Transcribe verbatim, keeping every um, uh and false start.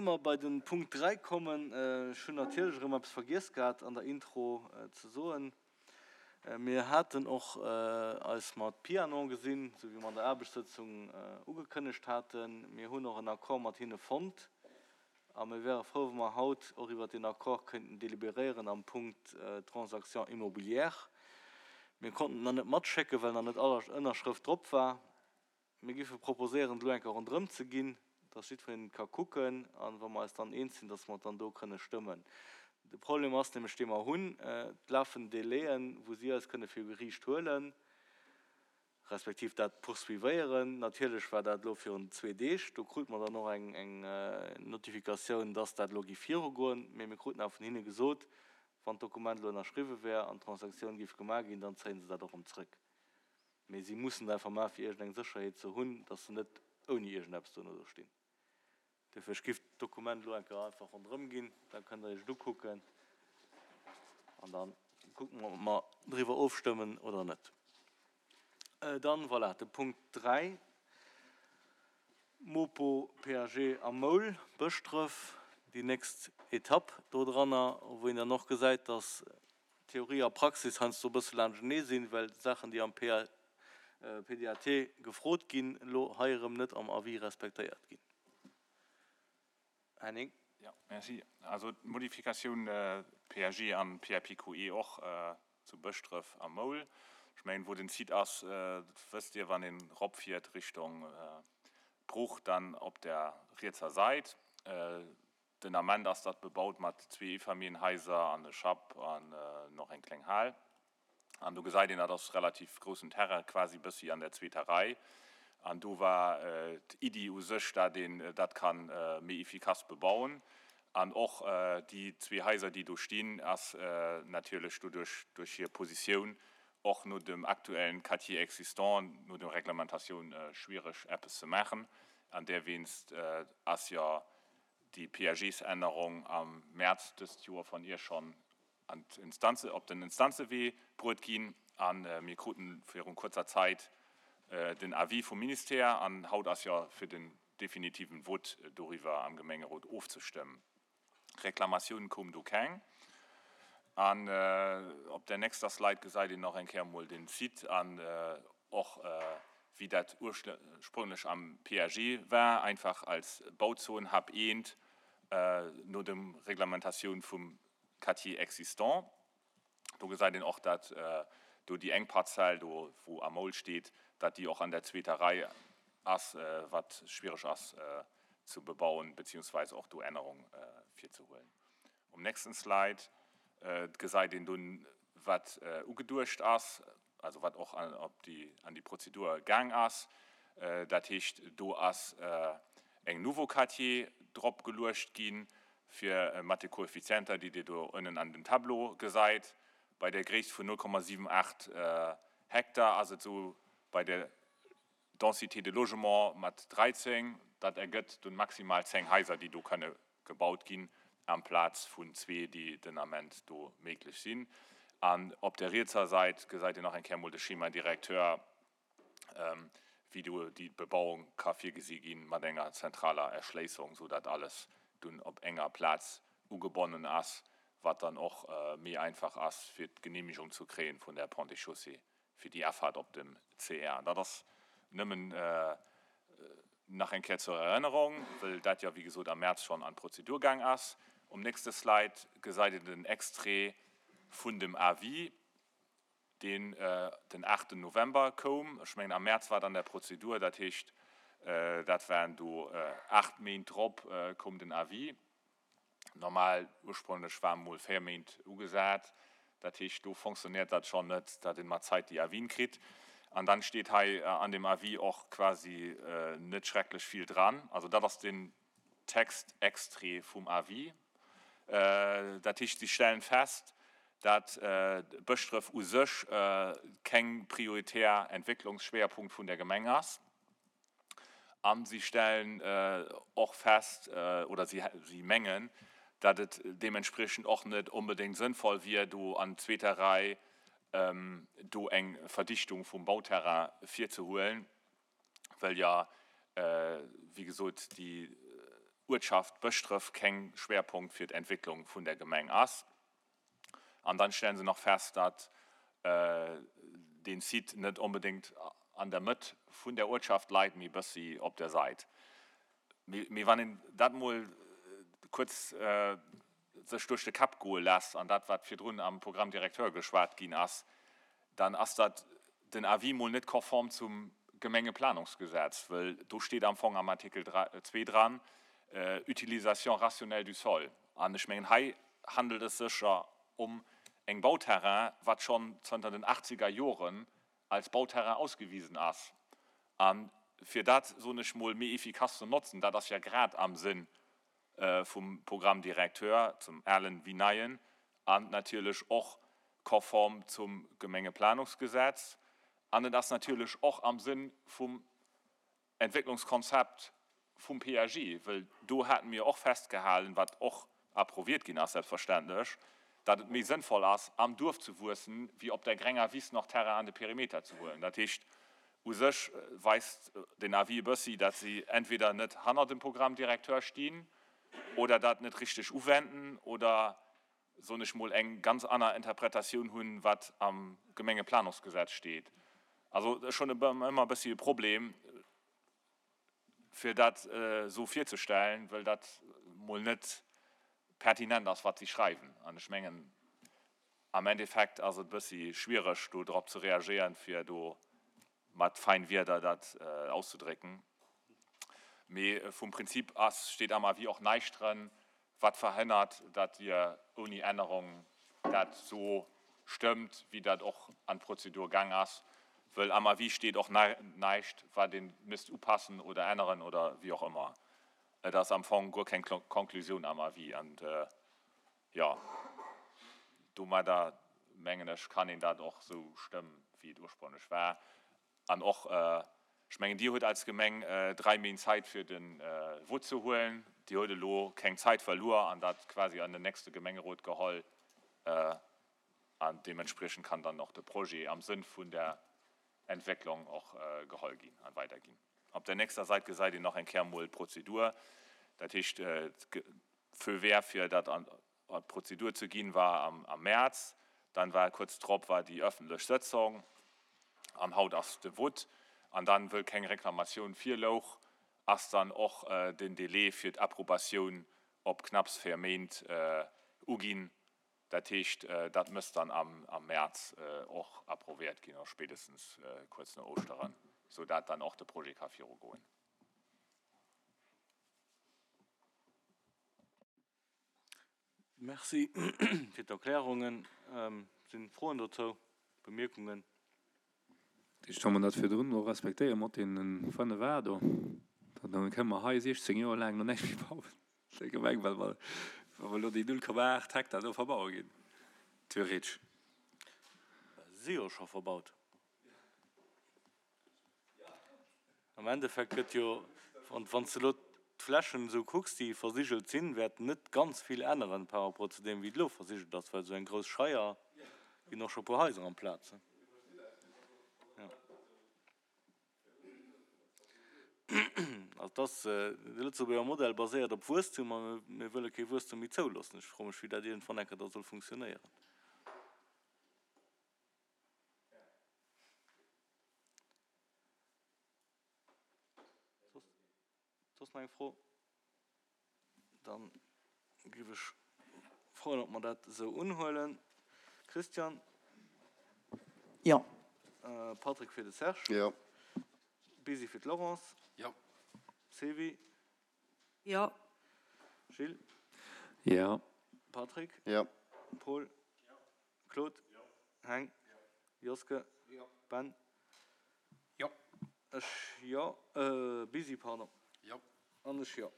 Ier mer bei de Punkt dräi kommen, ech hunn natierlech erëm eppes vergiess gehat an der Intro ze soen, Mir haten och eis mat Pianon gesinn, esou wéi mer an der Aarbechtssëtzung ugekënnegt haten. Mir hunn och en Accord mat hinne fonnt a mir wäre frou, wa mer haut och iwwert deen Accord këinten délibéréieren am Punkt Transactions immobilières. Mir konnten et nach net matschécken, well nach net all Ënnerschrëft drop war. Mir géife proposéieren, et elo eng Kéier ronderëm ze ginn, dass jiddwereen et ka kucken, a wa mer eis dann eens sinn, dass mer et dann do kënne stëmmen. De Problem ass nämlech, dee mer hunn, et lafen Délaiën, wou si eis kënne viru Geriicht huelen, respektiv dat poursuivéieren. Natierlech war dat elo virun zwee Deeg, do krute mer dann och eng Notifikatioun, dass dat elo géif virugoen, mee mir kruten awer vun hinne gesot, wann d'Dokument elo ënnerschriwwe wär an d'Transaktioun géif gemaach ginn, dann zéie se dat och erëm zrëck. Mee si mussen et einfach maachen, fir iergendeng Sécherheet ze hunn, dass se net ouni iergendeppes duerno do stinn. Duerfir, ech giff d'Dokument elo eng Kéier einfach ronderëm ginn, da kënnt Der Iech et ukucken an da kucke mer, ob mer driwwer ofstëmmen oder net. Dann, voilà, de Punkt dräi, Mopo, P A G a Moul, Bëschdref, déi nächst Etapp dodranner, wou een dann och gesäit, dass Theorie a Praxis heiansdo e bësse laanschtenee sinn, well Saachen, déi am P D A T gefrot ginn, elo hei erëm net am Avis respektéiert ginn. Henning. Ja, merci. Also d'Modifikatioun P A G an P A P Q E och zu Bëschdref a Moul. Ech mengen, wou den Site ass, dat wësst Dir, wann een eropfiert Richtung Bruch, dann op der rietser Säit. Den Ament ass dat bebaut mat zwee Eefamilljenhaiser an e Schapp an nach eng kleng Hal. An do gesäit een, dat ass relativ groussen Terrain, quasi bëssi an der zweeter Rei. An do war d'Iddi u sech, dat een dat ka méi efficace bebauen. An och déi zwee Haiser, déi do stinn, ass natierlech doduerch, duerch hir Positioun, och no dem aktuellen Quartier existant, no der Reglementatioun schwiereg eppes ze maachen. An dowéinst ass jo déi P A Gs-Ännerung am Mäerz dëst Joer vun Iech schonn an d'Instanze, op den Instanzewee bruet ginn. A mir kruten virun kuerzer Zäit den Avis vum Ministère an haut ass jo fir den definitiven Vote doriwwer am Gemengerot ofzestëmmen. Reklamatioun koum do keng. An op der nächster Slide gesäit een nach eng Kéier mol den Site an och wéi dat ursprénglech am P A G war, einfach als Bauzon H eent no dem Reglementatioun vum Quartier existant. Do gesäit een och, dat do déi eng Parzell do, wou am Moul steet, dat déi och an der zweeter Rei ass, wat schwiereg ass ze bebauen, beziehungsweise och do Ännerung virzehuelen. Um nächsten Slide gesäit een dunn, wat ugeduecht ass, also wat och an, op déi, an déi Prozedur gaang ass. Dat heescht, do ass eng Nouveau Quartier drop geluecht ginn, fir mat de Koeffizienter, déi Dir do ënnen an dem Tableau gesäit. Bei der Gréisst vun null Komma siwen aacht Hektar ass et sou, bei der Densité de logement mat dräizéng, dat ergëtt dunn maximal zéng Haiser, déi do kënne gebaut ginn, amplaz vun zwee, déi den Ament do méiglech sinn. An op der rietser Säit gesäit Dir nach eng Kéier mol de Schéma directeur, wéi do déi Bebauung ka virgesi ginn mat enger zentraler Erschléissung, sou dat alles dunn op enger Plaz ugebonnen ass, wat dann och méi einfach ass fir d'Geneemegung ze kréien vun der Ponts et Chaussées fir déi Afaart op dem C R. Dat ass nëmmen nach eng Kéier zur Erënnerung, well dat jo wéi gesot am Mäerz schonn an d'Prozedur gaang ass. Um nächste Slide gesäit Dir den Extrait vun dem Avis, deen den aachten November koum. Ech mengen, am Mäerz war dann der Prozedur, dat heescht, dat waren do aacht Méint drop koum den Avis. Normal ursprénglech war mol véier Méint ugesat. Dat heescht, do fonctionnéiert dat schonn net, dat een mat Zäit déi Avis'en kritt. An dann steet hei an dem Avis och quasi net schrecklech vill dran. Also dat ass den Textextrait vum Avis. Dat heescht, si stellen fest, dat Bëschdref u sech keng prioritär Entwécklungsschwéierpunkt vun der Gemeng ass. An si stellen och fest, oder si si mengen, dat et deementspriechend och net onbedéngt sënnvoll wier, do an zweeter Rei do eng Verdichtung vum Bauterrain virzehuelen, well ja, wéi gesot, déi Uertschaft Bëschdref keng Schwerpunkt fir d'Entwécklung vun der Gemeng ass. An dann stellen se nach fest, datt deen Site net onbedéngt an der Mëtt vun der Uertschaft leit, mee bëssi op der Sait. Mee wann een dat mol kuerz sech duerch de Kapp goe lässt an dat wat virdrun am Programme directeur geschwat ginn ass, dann ass dat den Avis mol net konform zum Gemengeplanungsgesetz, wëll do steet am Fong am Artikel zwee dran, Utilisation rationnelle du sol. An ech mengen, hei handelt et sech jo um eng Bauterrain, wat schonn zënter den achtzeger Joren als Bauterrain ausgewisen ass. A fir dat, soen ech mol, méi efficace ze notzen, dat ass jo grad am Sënn vum Programme directeur, zum alen wéi neien, an natierlech och konform zum Gemengeplanungsgesetz, an et ass natierlech och am Sënn vum Entwécklungskonzept vum P A G, wëll do hate mir och festgehalen, wat och approuviert ginn ass selbstverständlech, datt et méi sënnvoll ass, am Duerf ze wuessen, wéi op der grenger Wiss nach Terrain an de Perimeter ze huelen. Dat heescht, u sech weist den Avis e bëssi, datt si entweder net hanner dem Programme directeur stinn oder dat net richteg uwenden oder, soen ech mol, eng ganz aner Interpretatioun hunn, wat am Gemengeplanungsgesetz steet. Also ech hunn ëmmer e bëssi e Problem, fir dat esou virzestellen, well dat mol net pertinent ass, wat si schreiwen. An ech mengen, am Endeffekt ass et e bëssi schwiereg, do drop ze reagéieren, fir do mat fein Wierder dat auszudrécken. Mee vum Prinzip ass, steet am Avis och näischt dran, wat verhënnert, datt Dir ouni Ännerung dat esou stëmmt, wéi dat och an d'Prozedur gaang ass. Wëll am Avis steet och näischt, wat ee misst upassen oder änneren oder wéi och ëmmer. Et ass am Fong guer keng Konklusioun am Avis. An, jo, domadder, mengen ech, kann een dat och esou stëmmen, wéi et ursprünglech war. An och, ech mengen, Dir hutt als Gemeng dräi Méint Zäit, fir de Vote ze huelen. Dir hutt elo keng Zäit verluer an dat quasi an den nächste Gemengerot geholl. An deementspriechend kann dann och de Projet am Sënn vun der Entwécklung och geholl ginn an weiderginn. Op der nächster Säit gesäit een nach eng Kéier emol d'Prozedur. Dat heescht, d'Feu vert, fir dat an d'Prozedur ze ginn, war am Mäerz. Dann war kuerz drop war déi ëffentlech Sëtzung an haut ass de Vote. An dann, wëll keng Reklamatioun virlouch, ass dann och den Délai fir d'Approbatioun op knapps véier Méint uginn. Dat heescht, dat mësst dann am Mäerz och approviert ginn, oder spéitestens kuerz no Ouschteren, sou dat dann och de Projet ka virugoen. Merci fir d'Erklärungen. Sinn Froen dozou, Bemierkungen? Ech kann mer dat virdrun och respektéieren mat deene fënnef A do. Dann kënne mer hei siechzéng Joer laang nach näischt méi bauen, der Gemeng, well mer, wa mer elo déi null Komma aacht Hektar do verbaue ginn, theoretesch. Si jo scho verbaut. Am Endeffekt gëtt jo, wann s de elo d'Flächen esou kucks, déi versigelt sinn, wäert net ganz vill änneren par rapport zu deem, wéi et elo versigelt ass, well esou eng grouss Scheier ginn och scho e puer Haiser amplaz. Also dass de Lëtzebuerger Modell baséiert op Wuesstum a mir wëlle kee Wuesstum méi zouloossen. Ech froe mech, wéi dat iergendwann eng Kéier da soll funktionéieren. Soss nach eng Fro? Dann géif ech froen, ob mer dat esou unhuelen. Christian? Jo. Patrick fir de Serge? Jo. Bisi fir d'Laurence? Jo. Sylvie? Jo. Gilles? Jo. Patrick? Jo. Paul? Jo. Claude? Jo. Heng? Jo. Joske? Jo. Ben? Jo. Ech jo. Bisi, pardon. Jo. An ech jo.